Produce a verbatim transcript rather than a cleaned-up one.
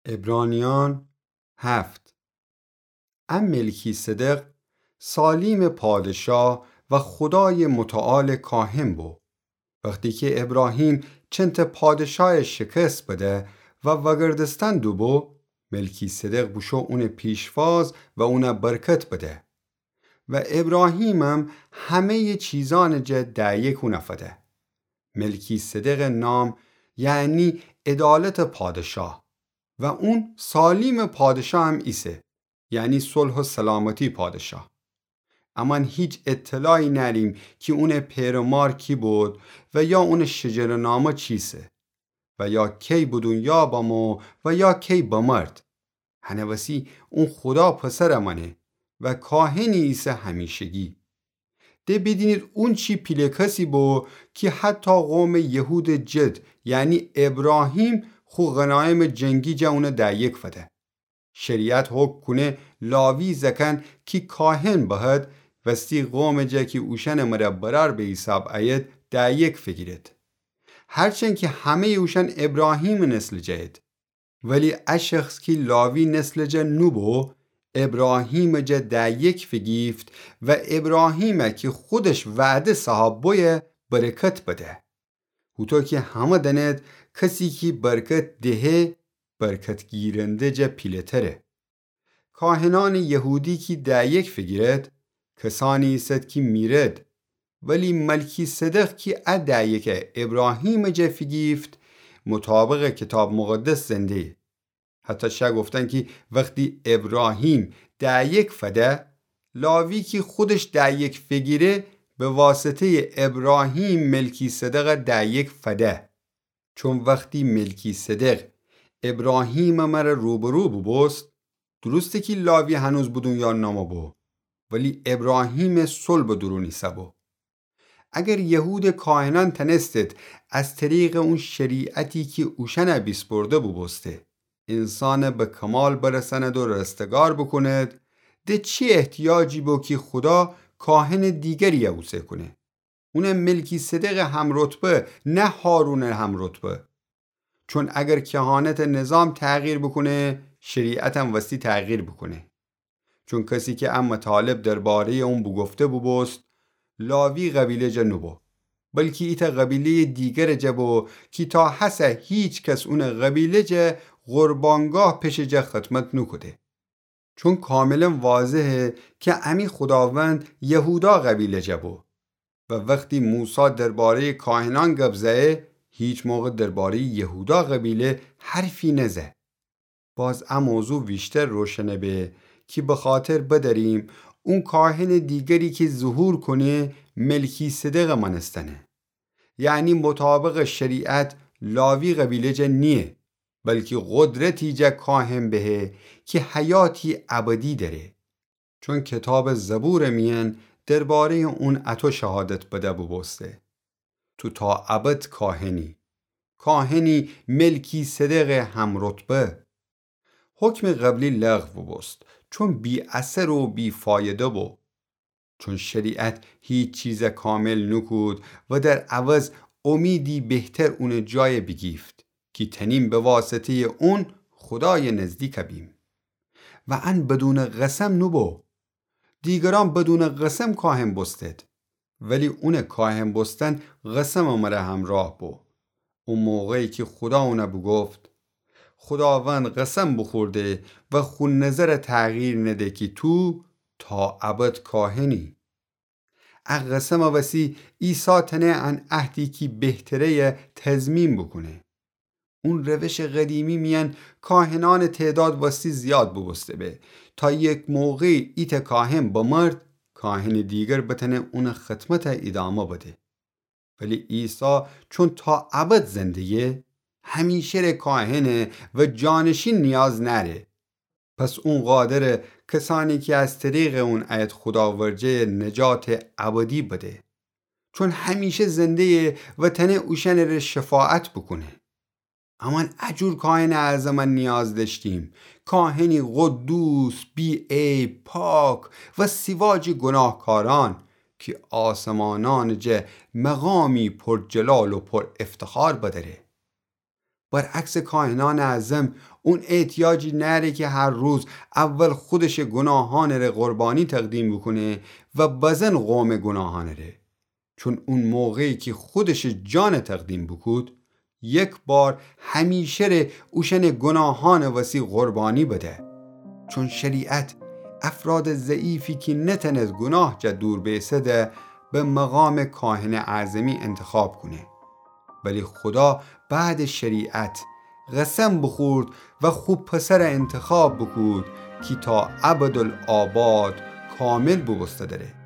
عبرانیان هفت. ا ملکی‌صدق سالیمٚ پادشاه و خودایٚ متعالٚ کاهن بو. وختی کی ابراهیم چنتٚ پادشایَ شکست بده و وگردستن دوبو، ملکی‌صدق بوشو اونٚ پیشواز و اونَ برکت بده. و ابراهیمم همه‌یٚ چیزأنٚ جا ده‌یک اونَ فده. ملکی‌صدقٚ نام یعنی عدالتٚ پادشاه و اون سالیمٚ پادشاهم ایسه، یعنی صلح و سلامتی پادشاه. امأن هیچ اطلاعی نأریم کی اونٚ پئر و مار کی بود و یا اونٚ شجره‌نامه چیسه و یا کی به دونیا بمو و یا کی بمرد. هنٚ وسی اون خودا پسرٚ مأنه و کاهنی ایسه همیشگی. ده بیدینید اون چی پیله کسی بو کی حتی قومٚ یهودٚ جد، یعنی ابراهیم، خو غنایمٚ جنگی جا اونَ ده‌یک فده. شریعت حکم کونه لاوی زأکأن کی کاهن بهد، وستی قومٚ جا کی اوشأنٚ مره برأر به حیساب أید، ده‌یک فیگیرد. هرچند کی همه‌یٚ اوشأن ابراهیمٚ نسلٚ جا اید. ولی ا شخص کی لاوی نسلٚ جا نوبو، ابراهیمٚ جا ده‌یک فیگیفت و ابراهیمَ کی خودش وعده صاحب بویه برکت بده. هوطو کی همه دأنید کسی کی برکت دهه، برکت گیرنده جا پیله‌تره. کاهنأنٚ یهودی کی ده‌یک فیگیرد، کسأنی ایسد کی میرد، ولی ملکی‌صدق کی ا ده‌یکَ ابراهیمٚ جا فیگیفت، مطابقٚ کیتاب مقدس زنده‌یه. حتی شأ گفتن کی وختی ابراهیم ده‌یک فده، لاوی کی خودش ده‌یک فیگیره، به واسطه‌یٚ ابراهیم ملکی‌صدقَ ده‌یک فده. چون وختی ملکی‌صدق ابراهیمٚ مره روبرو بوبوست، درسته کی لاوی هنوز به دونیا نامو بو، ولی ابراهیمٚ صلبٚ دورون ایسه‌بو. اگر یهودٚ کاهنأن تنستید از طریقٚ اون شریعتی کی اوشأنَ بیسپرده بوبوسته، انسانَ به کمال برسأند و رستگار بوکوند، ده چی احتیاجی بو کی خودا کاهنٚ دیگریَ اوسه کونه؟ اونَ ملکی‌صدقٚ همرتبه، نه هارونٚ همرتبه. چون اگر کهانتٚ نظام تغییر بوکونه، شریعتم وستی تغییر بوکونه. چون کسی کی ا مطالب درباره‌یٚ اون بوگفته بوبوست، لاوی قبیله جا نوبو، بلکی ایتأ قبیله‌یٚ دیگرٚ جا بو کی تا هسه هیچ کس اونٚ قبیله جا قربانگاه پشه جا خدمت نوکوده. چون کاملاً واضحه کی امی خوداوند یهودا قبیله جا بو و وختی موسی درباره‌یٚ کاهنأن گب زأیه، هیچ موقع درباره‌یٚ یهودا قبیله حرفی نزه. باز ا موضوع ویشتر روشن به کی بخاطر بدأریم اون کاهنٚ دیگری کی ظهور کونه ملکی‌صدقٚ مأنستنه. یعنی مطابقٚ شریعت لاوی قبیله جا نییه، بلکی قدرتی جا کاهن بهه کی حیاتی ابدی دأره. چون کیتابٚ زبورٚ میأن درباره‌یٚ اون اطو شهادت بده بوبوسته: تو تا ابد کاهنی، کاهنی ملکی‌صدقٚ همرتبه. حکمٚ قبلی لغو بوبوست، چون بی‌اثر و بی‌فایده بو. چون شریعت هیچ چیزَ کامل نوکود و در عوض امیدی بهتر اونٚ جایَ بیگیفت کی تأنیم به واسطه‌یٚ اون خودایَ نزدیک بیم. و ان بدونٚ قسم نوبو. دیگرأن بدونٚ قسم کاهن بوستید، ولی اونٚ کاهن بوستن قسمٚ مره همراه بو. او موقعی کی خودا اونَ بوگفت: خوداوند قسم بوخورده و خو نظرَ تغییر نده کی تو تا ابد کاهنی. ا قسمٚ وسی عیسی تأنه ان عهدی کی بهتره‌یَ تضمین بوکونه. اون روشٚ قدیمی میأن کاهنأنٚ تعداد وستی زیاد بوبوسته به، تا یک موقعی ایتأ کاهن بمرد، کاهنٚ دیگر بتأنه اونٚ خدمتَ ایدامه بده. ولی عیسی چون تا ابد زنده‌یه، همیشه‌ره کاهنه و جانشین نیاز نأره. پس اون قادره کسأنی کی از طریقٚ اون أید خودا ورجه‌یه نجاتٚ ابدی بده. چون همیشه زنده‌یه و تأنه اوشأنٚره شفاعت بوکونه. امأن ا جور کاهنٚ اعظمَ نیاز دأشتیم، کاهنی قدوس، بی‌عیب، پاک و سیوا جٚه گوناهکارأن کی آسمانأنٚ جا مقامی پر جلال و پر افتخار بدأره. برعکس کاهنأنٚ اعظم، اون احتیاجی نأره کی هر روز اول خودشٚ گوناهأنٚ ره قربانی تقدیم بوکونه و بزن قومٚ گوناهأنٚ ره. چون اون موقعی کی خودشٚ جان تقدیم بوکود، یک بار همیشه ره اوشأنٚ گوناهأنٚ وسی قربانی بده. چون شریعت افرادٚ ضعیفی کی نتأنه گوناه جا دور بیسده، به مقامٚ کاهنٚ اعظمی انتخاب کونه. ولی خودا بعدٚ شریعت قسم بوخورد و خو پسر انتخاب بوکود کی تا ابدالآباد کامل بوبوسته دره.